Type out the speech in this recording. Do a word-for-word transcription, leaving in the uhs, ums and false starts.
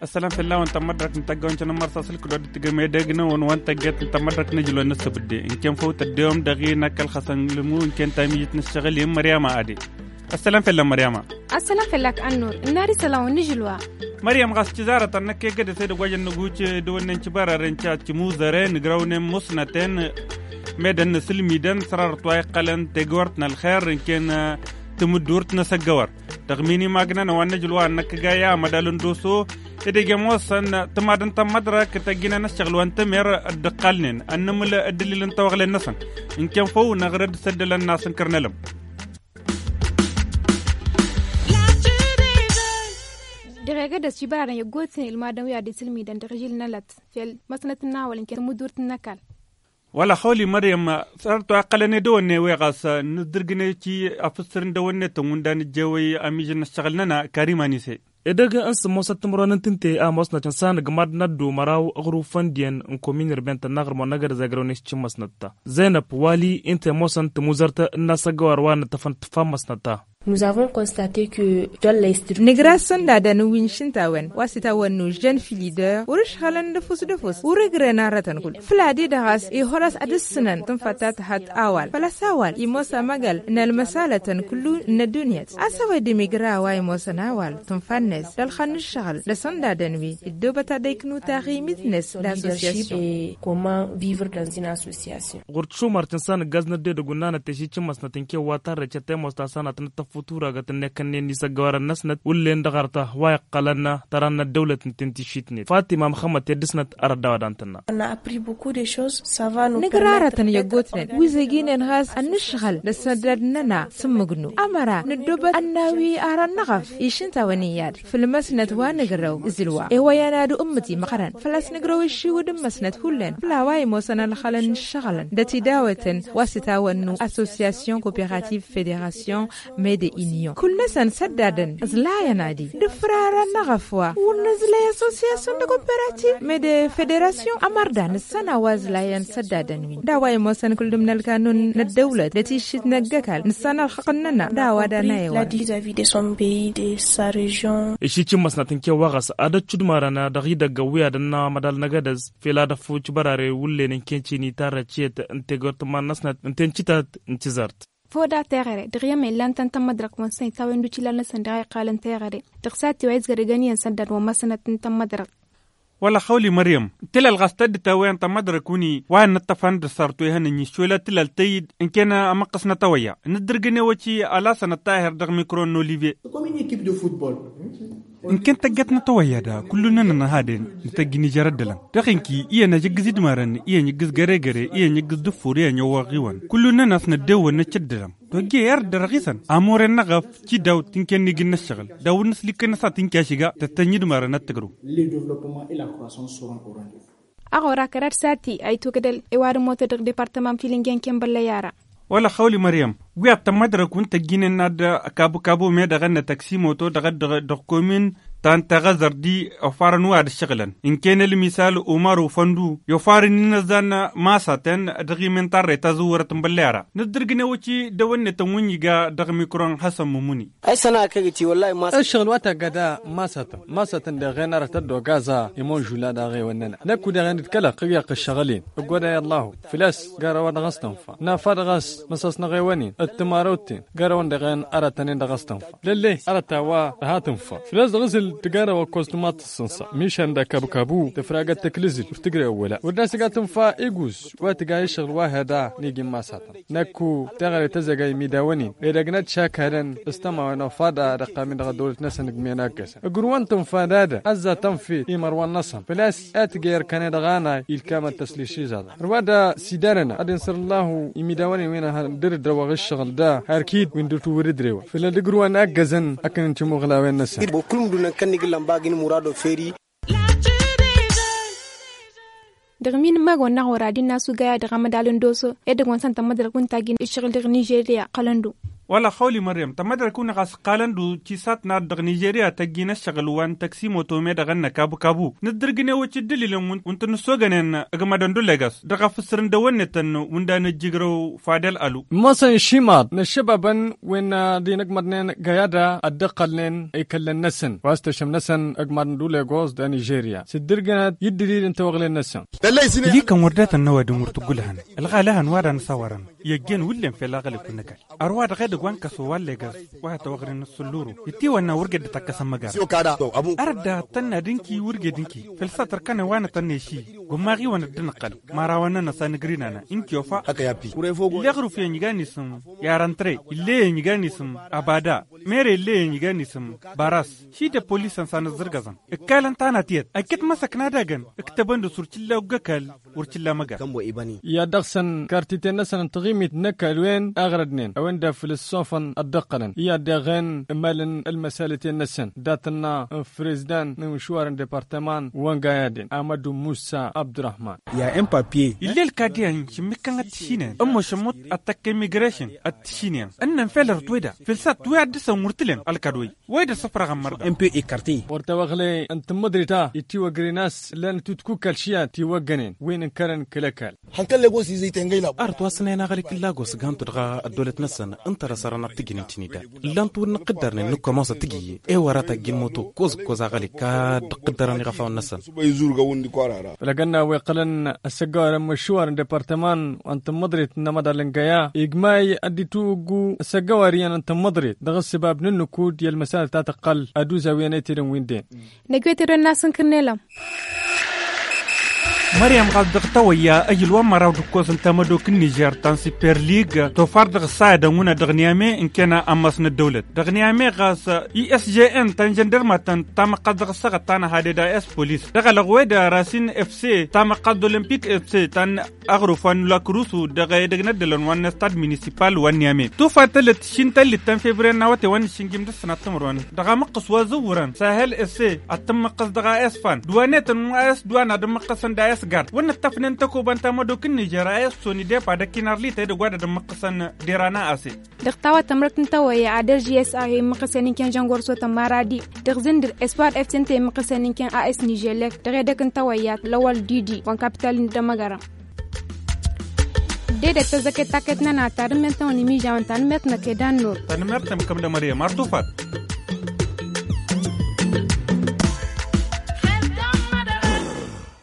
Ăssălam fell-awăn tămmădrăk n-tăggăwăn cănămmăr s-asǝlkǝd wa dd-tǝgăm edăgg-năwăn wa n-tăgget n-tămmădrăk n-ajǝlwăn n-ǝssǝbǝdde ǝnken făw tăddewăm dăɣ-i n-ăkk ălxăsăn lǝmu ǝnken tamijit n-ǝššăɣǝl i-n măryama ade. Ăssălam fell-ăk măryama. Ăssălam fell-ăk ănnur. Ǝnnar isălan wa n-ajǝlwa. Măryam ɣas cǝzarătăn năkk egădăs edăgg wa jăn năgucǝ dăwănnen cǝbăraren ca cǝmuzăre nǝgrăwnen musnăten. Medăn n-asǝlmidăn sărarăt wa iqqălăn tegăwărt n-ălxer ǝnken tǝmǝddurt n-asăggăwăr. Dăɣ-mini magnăn wa n-ajǝlwa ănnăkkăgay amădal n-doso. Edăgg i-ămoosăn tǝmad n-tămmădrăk tăjjǝnăn ăššăɣǝl wa n-tămer dd-ǝqqalnen ănnămǝl ăddălil n-tawăɣlen-năsăn. Ǝnken făw năɣrăd s-ăddălăn n-asǝnkăr n-elăm. Dăɣ-egădăs cibărarăn i-ăggootnen ilmadăn wi ad-isǝlmidăn dăɣ-ižil n-alăt fel măsnăt n-awăl ǝnken tămudurt n-ăkall. Wăla xawli măryăm. Sărăt wa iqqălăn edăwănne-wi ɣas nǝddǝrgǝne ci afǝssǝr n-dăwănne tănwǝnda nǝjjewăy amižăn n-ăššăɣǝl-năna karimanise. Edăgg n-sǝmmosăt timǝrwen n-tǝnte a ămoosnăt cǝnsa n-agmad n-ăddu măraw aɣrǝw făndiyăn n-komin irben tănnaɣrǝm wa n-egădăs a ǝgrăwăn i-s cǝmmăsnăt-ta. Zăynăb wali ǝnta i-ămoosăn tǝmuzărt n-asăggăwar wa n-ăṭṭăfăn tǝffa n-măsnăt-ta. Nǝgra s-ăndadăn wi n-išǝnta a-wen wa s-itawănnu žăn filidăr wăr-ǝšɣălăn d-ăfuss d-ăfuss wăr-ǝgrăn arrătăn kull făll-ad-e-dăɣ a-s ihăr a-s ad-ǝssǝnăn tǝnfăt ta tǝhăt a-wa-dăɣ făl-a-s a-wa-dăɣ imoos amăgăl n-ălmăsalătăn kullu n-ăddunyăt a-s a-wa-dăɣ imigra a-wa imosăn a-wa-dăɣ tǝnfa-net d-ălxănn n-ǝššăɣǝl d-asăndadăn wi dd-obăt ad-ăyknu taɣimit-net d-assosyasyon. Comment vivre dans une association. Ɣur-t šumar tǝnsa n-ǝggaz n-ădded ăgg-unnanăt tešit šǝmmăsnăt n-kewwa tarrăcet ta imoos ta s-anăt n-ăttăffuturagăt n-ekănnen isăggăwarăn-năsnăt wullen dăɣ-arta wa iqqălăn tăra n-ăddăwlăt n-ten tišitnet fatima măxămmăt i-dd-ǝsnăt arăt d-a-wa dantănna. Nǝgrarătăn i-ăggootnen wi zăjjinen ɣas ănnǝšɣăl d-asăndad-nănăɣ s-ǝmmǝgnu ămăra nǝddobăt ănnawi ara n-năɣăf išǝntawăn iyyăd făll-măsnăt wa nǝgrăw ǝzǝlwa ewăyăn ad-ummǝti măɣrăn făl-a-s nǝgrăw ǝššiwǝd n-măsnăt hullen făll-a-wa imosăn ălxălăn n-ǝššăɣǝlăn d-ătidawătăn wa s-itawănnu assosyasyon koperativ federasyon mede inyon kull-năsăn săddadăn ǝẓlayăn ad-i d-ǝfrarăn n-aɣăf wa wăr nǝẓlay assosyasyon d-koperativ mede federasyon ămărda nǝssan a-wa ǝẓlayăn săddadăn-win d-a-wa imosăn kull-dăm n-ălkanun n-ăddăwlăt d-ătišit n-ăgg-ăkall nǝssan ălxăqq-nănăɣ d-a-wa dăɣ-năyăwăn. Išit imăsnăt n-kewwa ɣas ad-ăccudmarăn dăɣ-idăgg ăwwi ad-ănna amădal n-egădăz fel ad-ăffuc bărare wullen n-kencini tarrăciyăt n-tegort n-iman-năsnăt n-tencǝtat n-tizărt. Foda teɣăre dăɣ-i ămăyăn lan tăn-tămmădrăk wa n-săn itawăyăn d-ucilal-năsăn dăɣ-a iqqalăn teɣăre dăɣ-s ad-tiwăy izgărăgăn iyyăn săddad wa n-măsnăt n-tămmădrăk. Wăla xawli măryăm tǝlal ɣas tădd-tawăyăn tămmădrăk-win-i wa n-inǝṭṭăfăn d-ăssartu ihănăn-i šolăt tǝlal tăyyǝd ǝnken ămăqqăs n-atăwăyya nǝddǝrgǝn ewăci ălasănăt tahir dăɣ-mikro n-olivier. Ǝnken tăgget n-atăwăyya da kullu-nănăɣ n-ehăden nǝtăjj n-ižăr ăddălăn dăɣ-inki iyyăn ajǝggǝz idmarăn iyyăn ijǝggǝz găre-găre iyyăn ijǝggǝz dăffur iyyăn iwwăɣ iwăn kullu-nănăɣ s-năddewănnăt cǝddǝlăm. Tojje erd dăr-ɣisăn amore-năɣ ăf cidawt tǝnken n-igi n-ăššăɣǝl d-awǝd n-asǝlikkăn-năsat tǝnkašǝga tăttănj idmarăn ad-tǝgrǝw. Ăɣora kăraḍ sati a itwǝgdăl i-wa d-ămootăd dăɣ-departăman filǝnge n-kenbăllăy ara. Wăla xawli măryăm wi ad-tămmădrăk wi n-tăjjinen n-ad-kabu-kabu me dăɣ-ănnăt ăksimoto dăɣ-ăddăɣ dăɣ-komin ta n-teɣăzăr di ofarăn wi ad-ǝššăɣǝlăn ǝnken ălmisal umăru făndu i-ofarăn-in ăzzan masatăn dăɣ-imen tarrăy tazǝwwărăt n-băllăy ara nǝddǝrgǝn ewăci dăwănnet n-wǝnniga dăɣ-mikro n-hasăn mumuni. Ăššăɣǝl wa tagga da masatăn masatăn deɣen arăt ăddogaza imonžula daɣ ewăn-nănăɣ năkku deɣen d-kălăɣ ăyyaɣ-t ăššăɣǝl-in ǝggoday ăllahu făl-a-s gar a-wa dăɣ-s tǝnfa nafad ɣas măsas n-aɣewăn-in d-tǝmarăwt-ten gar a-wăn deɣen arătăn-in dăɣ-s tǝnfa lălle arăt a-wa dăɣ-ha tǝnfa făl-a-s dăɣ-s ǝltǝgg ara wa ăkkoẓ tǝmaḍ tǝssǝnsa mišan d-akabkabu tǝfragăt tǝklǝzǝl ur tǝjrewăla wăr dasǝga tǝnfa iguz wa tǝga i-ǝššăɣǝl wa heda n-igi n-masatăn. Năkku teɣăre tăzăga imidawăn-in edăgg n-ad-šakadăn s-tămawen ofada dăɣ-tamin dăɣ-ăddăwlăt-năsăn ǝgg men aggăsăn ǝgrǝwăn tǝnfa d-ad-ăzzat tănfet imărwan-năsăn făl-a-s a tǝgg i-irkăne dăɣ-anay ilkam ad-tăslišizaḍăn ărwa da s-idanănăɣ ad-insăr ǝllahu imidawăn-in wi n-ehăn dăr-dd-ăwwăɣ ǝššăɣǝl da har kid wi n-dăr-t wăr-ǝdrewăn făll-ad-ǝgrǝwăn aggăzăn akǝn n-timuɣlawen-năsăn. Dăɣ-min ǝmmăg wănna ɣur-ad-innă asugay-a dăɣ-amădal n-doso edăgg wa n-săn tămmădrăk wi n-tajjin ǝššăɣǝl dăɣ-nižerya ǝqqălăn-dd-u. Wăla xawli mărrem tămmădrăk-win ɣas ǝqqalăn-dd tisat n-ad-dăɣ nižerya tăjjin ăššăɣǝl wa n-tăksimoto me-dăɣ ănnăk abu-kabu. Nǝddǝrgǝne wăcc dd-ililen wi n-tǝnnǝssoogănen ǝgmădăn d-olegas dăɣ-afǝssǝr n-dăwănnetăn wi n-danăjjǝgrăw fadel alu. Mosăn šimaḍ n-ăššăbabăn wi n-ad-inǝgmăḍnen găyada ad-dd-ăqqălnen ikăllăn-năsăn wa s-tăšăm-năsăn ǝgmăḍăn d-olegos d-anižerya s-dd-ǝrgǝnăt i-dd-ǝlil n-tawăɣlen-năsăn. Ǝlli-kăn wăr dat-ănnăwădăn wăr tǝggǝlhăn ălɣalăhăn wa danăsawărăn i-ăjjeen wǝllen fel aɣălăk wǝnnăkal. Ărwa dăɣ-edăgg wa n-kăso wa n-legas wa tăwăɣren n-sǝlluru ittiwănna wăr ged d-takkăsăn măgara. Arăt daɣ tănna d-ǝnki wăr ged ǝnki făll-s a tărkănen wa n-atănne ši gumma ɣiwăn dd-nǝqqăl mărawăn-nănăs a nǝgrinanăn ǝnki ofa. Ill'-e aɣruf iyyăn igan isǝm i-arăntre ill'-e iyyăn igan isǝm abada mere ill'-e iyyăn igan isǝm baras. Ši d-ăppolisăn s-a nǝzzǝrgăẓăn ǝkkalăn tanat iyyăt ăjjăt măsăk n-ad-agăn ǝktăbăn dăɣ-s wăr t-illa ogg ăkall wăr t-illa măgga. I-ad-dăɣ-săn kartiten-năsăn n-taɣimit n-ăkall wen aɣrădnen a-wen d-afǝl ǝssofăn ad-dd-ăqqălăn i-ad-deɣen ǝmalăn ălmăsalăten-năsăn dat-ănna n-fărezidan n-imǝšwarăn departăman wăngayaden amădu musa abdurrăhman. Ill'-e ălkad iyyăn šǝmmǝkkăn ad-t-išinen ămmošăn mut ad-tăkk emigrešăn ad-t-išinen ǝnnăn fel ărăt weda făll-s a t-wi ad-dăr-săn wăr t-ǝlem ălkad wăy. Wăy d-ăssăfrăɣăn mărda. Wăr tawăɣle n-tǝmmǝḍrit a itiwăgren a-s ǝllan-t utkukkal šiyat tiwăggănen wi n-ǝnkărăn kăl-ăkall. Hănkăl legos izăy tengăy labo. Arăt wa s-năyăn aɣălik n-lagos gantu dăɣ-ăddăwlăt-năsăn ǝnta dăr-s ărăn ad-t-ǝjǝn intinida. Ǝllan-t wăr nǝqqǝddărnen nǝkkomosa tǝjǝyye ewăr a tajjǝn moto koz-ǝkkoz aɣălik ad-dd-ǝqqǝddărăn iɣăfawăn-năsăn. Ălɣănna wi ǝqqălăn ăssăggăwar n-imǝšwar n-departăman wa n-tǝmmǝḍrit n-amăḍal n-găya igmay ad-dd-itwǝggu ăssăggăwar iyyăn n-tǝmmǝḍrit dăɣ-ǝssǝbab n-ǝnnǝkud i-ălmăsalăt ta tǝqqăl ad-uzawiyăn etedăn wi n-den. Năgg-wet irwen n-asǝnkǝrnelăm. Măryăm ɣas dăɣ-tawăyya ăjǝl wa n-măraw d-ǝkkoẓ n-tamădok n-nižer ta n-super lig tofar dăɣ-ǝssayădăn wǝnna dăɣ-niyame ǝnken ammas n-ăddăwlăt dăɣ-niyame ɣas isjn ta n-žăndărmatăn tamăqqas dăɣ-ǝssăɣăt ta n-ahaded a s-polis dăɣ-alăɣwed rasin fc tamăqqas d-olămpik fc ta n-aɣruf wa n-lakrusu dăɣ-edăgg n-ăddălăn wa n-estad minisipal wa n-niyame tufa tălăt šintăllit ta n-fevriye n-awăte wa n-išǝnjim d-ǝssănat timǝrwen dăɣ-amǝqqǝs wa zǝwwărăn sahel fc ad-tǝmmǝqqǝs dăɣ-a s-fan d-wa n-etăn wa s-d-wa n-ad-ǝmmǝqqǝsăn d-a s-gard wăr nǝttăfnen tăkoba n-tamădok n-nižer a s-soni depa d-ăkkinarlităy dăgg-wa d-ad-ǝmmǝqqǝsăn derana ase. Dăɣ-tawăt tămrăt n-tawăyya ad-ărži s-a he-immǝqqǝsăn inken žăngorso tămmaradi dăɣ-zǝndǝr espoir fc ǝnta immǝqqǝsăn inken a s-niželek dăɣ-edăk n-tawăyya lăwăl didi wa n-kapital n-dămăgărăm. Dedet tăzzăket taket-nănăɣ tarǝmmelt-tăn-wen imižawăn tanǝmmert-năk ed annur. Tanǝmmert-tăn kăm d-amăryăm ar tufat.